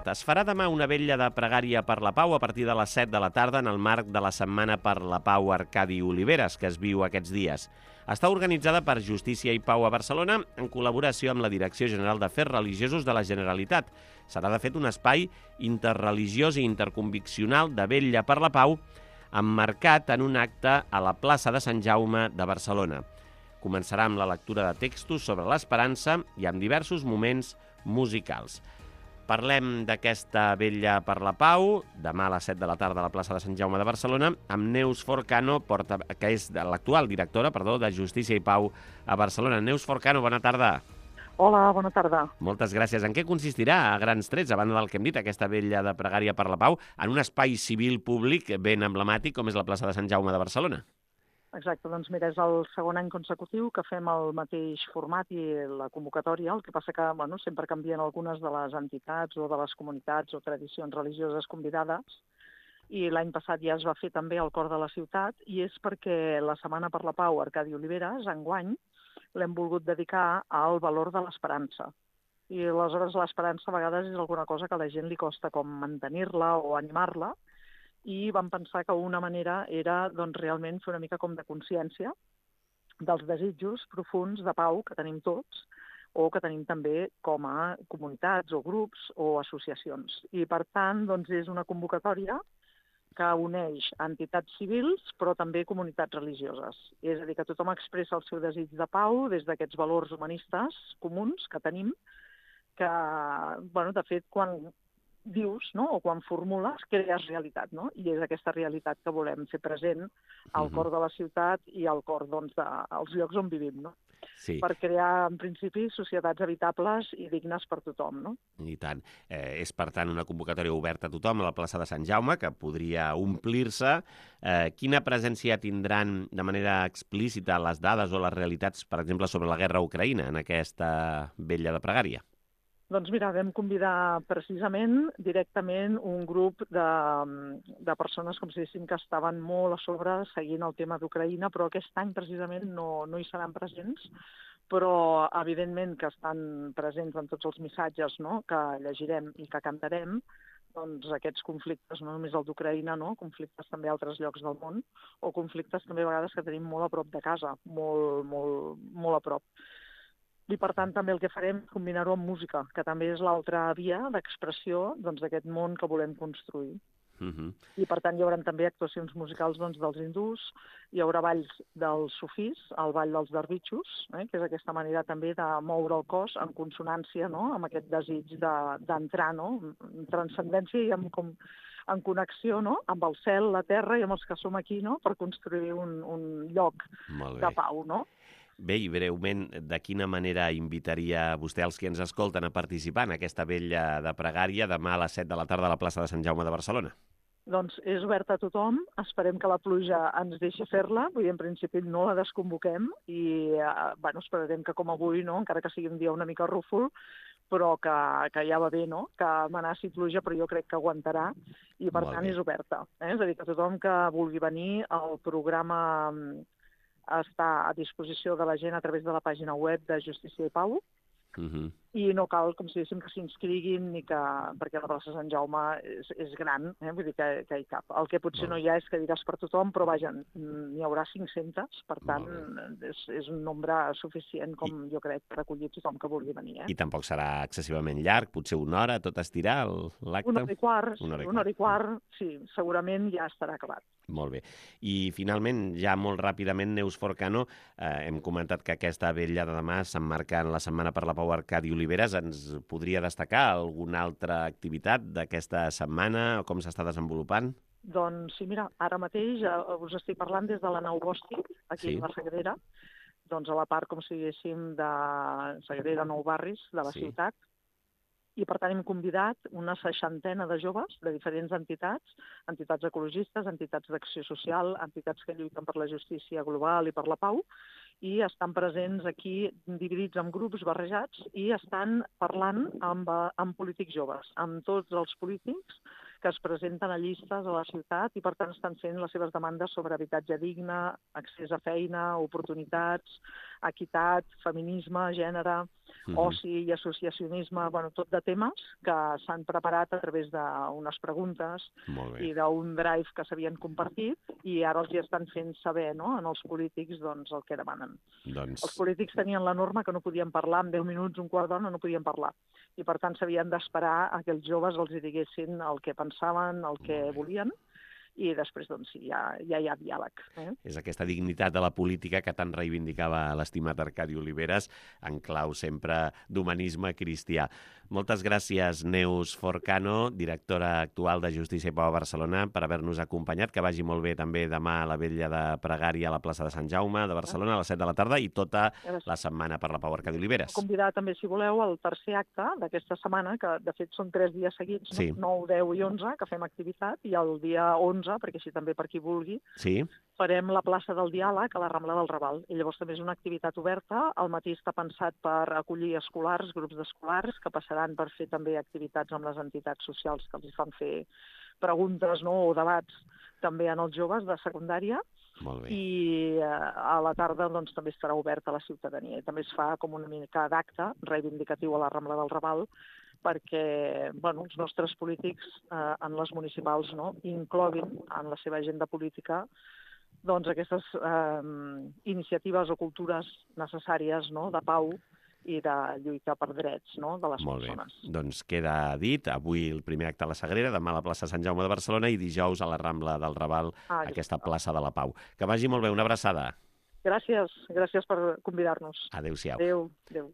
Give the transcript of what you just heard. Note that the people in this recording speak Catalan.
ciutat. Es farà demà una vetlla de pregària per la pau a partir de les 7 de la tarda en el marc de la Setmana per la Pau Arcadi Oliveres, que es viu aquests dies. Està organitzada per Justícia i Pau a Barcelona en col·laboració amb la Direcció General d'Afers Religiosos de la Generalitat. Serà, de fet, un espai interreligiós i interconviccional de vetlla per la pau emmarcat en un acte a la plaça de Sant Jaume de Barcelona. Començarà amb la lectura de textos sobre l'esperança i amb diversos moments musicals. Parlem d'aquesta vetlla per la pau, demà a les 7 de la tarda a la plaça de Sant Jaume de Barcelona, amb Neus Forcano, que és l'actual directora de Justícia i Pau a Barcelona. Neus Forcano, bona tarda. Hola, bona tarda. Moltes gràcies. En què consistirà, a grans trets, a banda del que hem dit, aquesta vetlla de pregària per la pau, en un espai civil públic ben emblemàtic com és la plaça de Sant Jaume de Barcelona? Exacte, doncs mira, és el segon any consecutiu que fem el mateix format i la convocatòria, el que passa que sempre canvien algunes de les entitats o de les comunitats o tradicions religioses convidades, i l'any passat ja es va fer també al cor de la ciutat, i és perquè la Setmana per la Pau Arcadi Oliveres, enguany, l'hem volgut dedicar al valor de l'esperança. I aleshores l'esperança a vegades és alguna cosa que a la gent li costa com mantenir-la o animar-la, i vam pensar que una manera era realment fer una mica com de consciència dels desitjos profuns de pau que tenim tots o que tenim també com a comunitats o grups o associacions. I per tant és una convocatòria que uneix entitats civils però també comunitats religioses. És a dir, que tothom expressa el seu desig de pau des d'aquests valors humanistes comuns que tenim, que, de fet, quan dius, o quan formules, crees realitat, I és aquesta realitat que volem fer present al cor de la ciutat i al cor, dels llocs on vivim, Sí. Per crear, en principi, societats habitables i dignes per tothom, I tant. És, per tant, una convocatòria oberta a tothom a la plaça de Sant Jaume, que podria omplir-se. Quina presència tindran de manera explícita les dades o les realitats, per exemple, sobre la guerra a Ucraïna en aquesta vetlla de pregària? Doncs mira, vam convidar precisament directament un grup de persones, com si diguéssim, que estaven molt a sobre seguint el tema d'Ucraïna, però aquest any precisament no hi seran presents, però evidentment que estan presents en tots els missatges que llegirem i que cantarem, doncs aquests conflictes, no només el d'Ucraïna, conflictes també a altres llocs del món, o conflictes també a vegades que tenim molt a prop de casa, molt, molt, molt a prop. I, per tant, també el que farem és combinar-ho amb música, que també és l'altra via d'expressió d'aquest món que volem construir. I, per tant, hi haurà també actuacions musicals dels hindús, hi haurà balls dels sufís, el ball dels darbitxos, que és aquesta manera també de moure el cos en consonància amb aquest desig d'entrar en transcendència i en connexió amb el cel, la terra i amb els que som aquí per construir un lloc de pau, Bé, i breument, de quina manera invitaria vostè als que ens escolten a participar en aquesta vetlla de pregària demà a les 7 de la tarda a la plaça de Sant Jaume de Barcelona? Doncs és oberta a tothom, esperem que la pluja ens deixi fer-la, vull dir, en principi no la desconvoquem i esperarem que com avui, encara que sigui un dia una mica rúfol, però que ja va bé, que amenaci pluja, però jo crec que aguantarà i per tant és oberta. És a dir, que tothom que vulgui venir, el programa està a disposició de la gent a través de la pàgina web de Justícia i Pau, i no cal, com si diguéssim, que s'inscriguin perquè la plaça de Sant Jaume és gran, vull dir que hi cap. El que potser no hi ha és que diràs per tothom, però vaja, n'hi haurà 500, per tant és un nombre suficient, com jo crec, per acollir tothom que vulgui venir. I tampoc serà excessivament llarg, potser una hora, tot estirar l'acte? Una hora i quart, sí, segurament ja estarà acabat. Molt bé. I finalment, ja molt ràpidament, Neus Forcano, hem comentat que aquesta vetlla de demà s'emmarca en la Setmana per la Pau Arcadi Oliveres. Ens podria destacar alguna altra activitat d'aquesta setmana o com s'està desenvolupant? Doncs sí, mira, ara mateix us estic parlant des de la nau Bòstic, aquí a la Sagrera, doncs a la part, com si diguéssim, de Sagrera, Nou Barris, de la ciutat. I, per tant, hem convidat una 60ena de joves de diferents entitats ecologistes, entitats d'acció social, entitats que lluiten per la justícia global i per la pau, i estan presents aquí dividits en grups barrejats i estan parlant amb polítics joves, amb tots els polítics que es presenten a llistes a la ciutat i, per tant, estan fent les seves demandes sobre habitatge digne, accés a feina, oportunitats, equitat, feminisme, gènere, oci i associacionisme, bueno, tot de temes que s'han preparat a través d'unes preguntes i d'un drive que s'havien compartit i ara els hi estan fent saber, no?, en els polítics doncs, el que demanen. Els polítics tenien la norma que no podien parlar en 10 minuts, un quart d'hora, no podien parlar. I per tant s'havien d'esperar a que els joves els diguessin el que pensaven, el que volien, i després doncs, ja hi ha diàleg. És aquesta dignitat de la política que tant reivindicava l'estimat Arcadi Oliveres, en clau sempre d'humanisme cristià. Moltes gràcies, Neus Forcano, directora actual de Justícia i Pau a Barcelona, per haver-nos acompanyat. Que vagi molt bé també demà a la vetlla de Pregària a la plaça de Sant Jaume de Barcelona a les 7 de la tarda i tota la setmana per la Pau Arcadi Oliveres. Convidar també, si voleu, el tercer acte d'aquesta setmana, que de fet són 3 dies seguits, 9, 10 i 11, que fem activitat, i el dia 11, perquè així també per qui vulgui, farem la plaça del Diàleg a la Rambla del Raval. I llavors també és una activitat oberta. Al matí està pensat per acollir escolars, grups d'escolars, que passaran per fer també activitats amb les entitats socials que els fan fer preguntes, no?, o debats també en els joves de secundària. I a la tarda doncs, també estarà oberta a la ciutadania. I també es fa com una mica d'acte reivindicatiu a la Rambla del Raval perquè els nostres polítics en les municipals incloguin en la seva agenda política doncs, aquestes iniciatives o cultures necessàries de pau i de lluita per drets de les persones. Molt bé. Doncs queda dit, avui el primer acte a la Sagrera, demà a la plaça Sant Jaume de Barcelona i dijous a la Rambla del Raval, aquesta plaça de la Pau. Que vagi molt bé, una abraçada. Gràcies per convidar-nos. Adéu-siau. Adéu.